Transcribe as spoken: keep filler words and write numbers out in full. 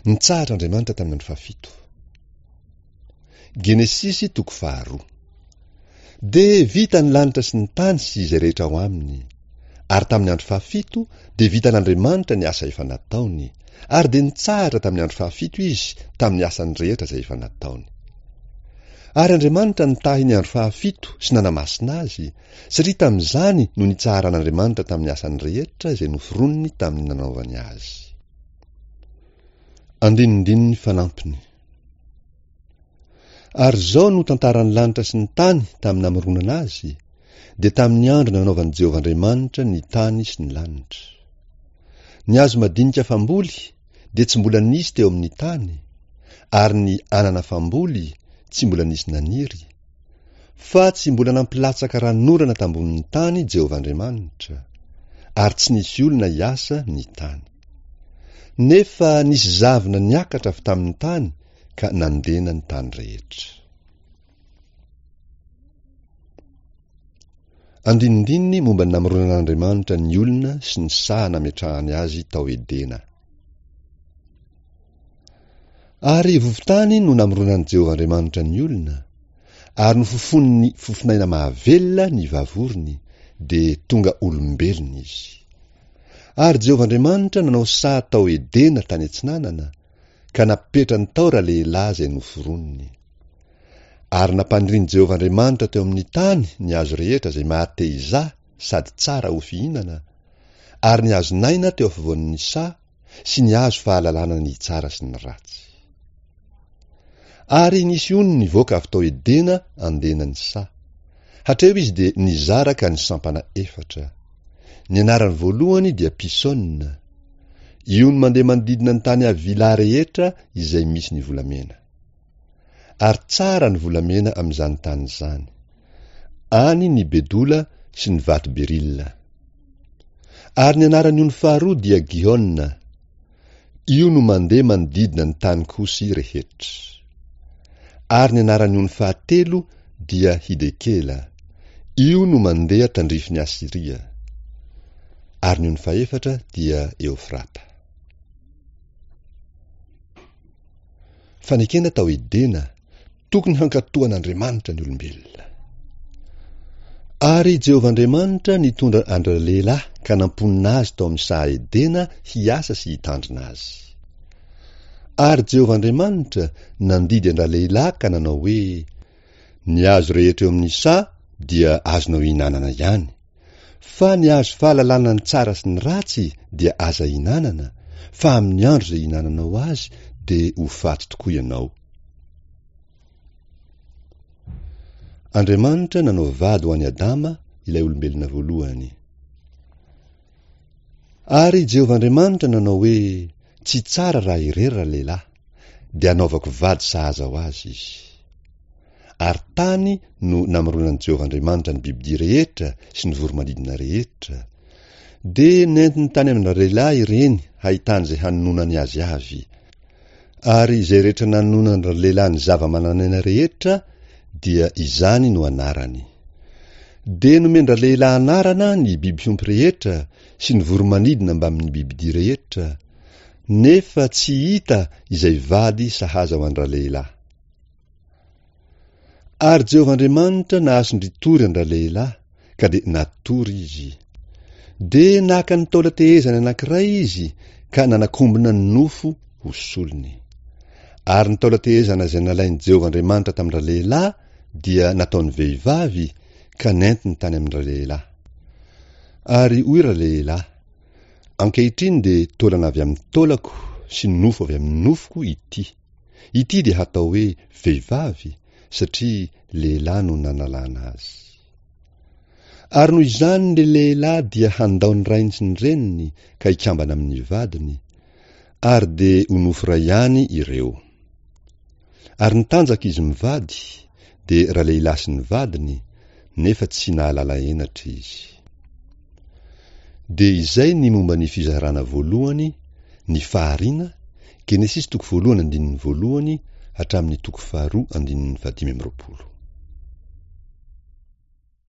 Nitsahatra Andriamanitra tamin'ny andro fahafito. Genesisy toko faharoa. Dia vita ny lanitra sy ny tany sy izay rehetra ao aminy. Ary tamin'ny andro fahafito dia vitan'Andriamanitra ny asa efa nataony, ary dia nitsahatra tamin'ny andro fahafito izy tamin'ny asany rehetra izay efa nataony. Ary Andriamanitra nitahy ny andro fahafito sy nanamasina azy, satria tamin'izany no nitsaharan'Andriamanitra tamin'ny asany rehetra izay noforoniny tamin'ny nanaovany azy. Andinindininy fanampiny. Ary izao no tantaran'ny lanitra sy ny tany tamin'ny namoronana azy, dia tamin'ny andro nanaovan'i Jehovah Andriamanitra ny tany sy ny lanitra. Ny hazo madinika famboly dia tsy mbola nisy teo amin'ny tany, ary ny anana famboly tsy mbola nisy naniry, fa tsy mbola nampilatsaka ranonorana tambonin'ny tany Jehovah Andriamanitra, ary tsy nisy olona hiasa ny tany. Nefa nisy zavona niakatra avy tamin'ny tany ka nandena ny tany rehetra. Andinindininy momba ny namoronan'Andriamanitra ny olona sy ny saha nametrahany azy tao Edena. Ary vovon-tany no namoronan'i Jehovah Andriamanitra ny olona, ary nofofoniny fofonaina mahavelona ny vavorony, dia tonga olombelona izy. Ary Jehovah Andriamanitra nanao saha tao Edena tany atsinanana, ka napetrany tao ralehilahy izay noforoniny. Ary nampanirin'i Jehovah Andriamanitra teo amin'ny tany ny hazo rehetra izay mahate hizaha sady tsara ho fihinana, ary ny hazon'aina teo afovoan'ny saha sy ny hazo fahalalana ny tsara sy ny ratsy. Ary nisy ony nivoaka avy tao Edena andena ny saha. Hatreo izy dia nizara ka nisampana efatra. Ny anarany voalohany dia Pisona. Io no mandeha manodidina ny tany Havila rehetra izay misy ny volamena. Ary tsara ny volamena amin'izany tany izany. Any ny bedola sy ny vato berila. Ary ny anaran'ny ony faharoa dia Gihona. Io no mandeha manodidina ny tany Kosy rehetra. Ary ny anaran'ny ony fahatelo dia Hidekela. Io no mandeha tandrifin'i Asyria. Ary ny ony fahefatra dia Eofrata. Fanekena tao Edena, tokony hankatò an'Andriamanitra ny olombelona. Ary Jehovah Andriamanitra nitondra an-dralehilahy ka namponina azy tao amin'ny saha Edena hiasa sy hitandrina azy. Ary Jehovah Andriamanitra nandidy an-dralehilahy ka nanao hoe, Ny hazo rehetra eo amin'ny saha dia azonao ihinanana ihany, fa ny hazo fahalalana ny tsara sy ny ratsy dia aza ihinanana, fa amin'ny andro izay ihinananao azy dia ho faty tokoa ianao. Andriamanitra nanao vady ho an'i Adama, ilay olombelona voalohany. Ary Jehovah Andriamanitra nanao hoe, Tsy tsara raha irery ralehilahy, dia hanaovako vady sahaza ho azy izy. Ary tany no namoronan'i Jehovah Andriamanitra ny bibidia rehetra sy ny voro-manidina rehetra. Dia nentiny tany amin-dralehilahy ireny hahitany izay hanononany azy avy. Ary izay rehetra nanononan-dralehilahy ny zava-manan'aina rehetra dia izany no anarany. Dia nomen-dralehilahy anarana ny biby fiompy rehetra sy ny voro-manidina mbamin'ny bibidia rehetra, nefa tsy hita izay vady sahaza ho an-dralehilahy. Ary Jehovah Andriamanitra nahasondritory an-dralehilahy, ka dia natory izy. Dia naka ny taolan-tehezany anankiray izy ka nanakombona ny nofo ho solony. Ary ny taolan-tehezana izay nalain'i Jehovah Andriamanitra tamin-dralehilahy dia nataony vehivavy ka nentiny tany amin-dralehilahy. Ary hoy ralehilahy, Ankehitriny dia taolana avy amin'ny taolako sy nofo avy amin'ny nofoko ity. Ity dia hatao hoe vehivavy satria lehilahy no nanalana azy. Ary noho izany ny lehilahy dia handao ny rainy sy ny reniny ka hikambana amin'ny vadiny, ary dia ho nofo iray ihany ireo. Ary nitanjaka izy mivady, dia ralehilahy sy ny vadiny, nefa tsy nahalala henatra izy. Dia izay ny momba ny fizarana voalohany, ny fahariana, Genesisy toko voalohany andininy voalohany hatramin'ny toko faharoa andininy fahadimy amby roapolo.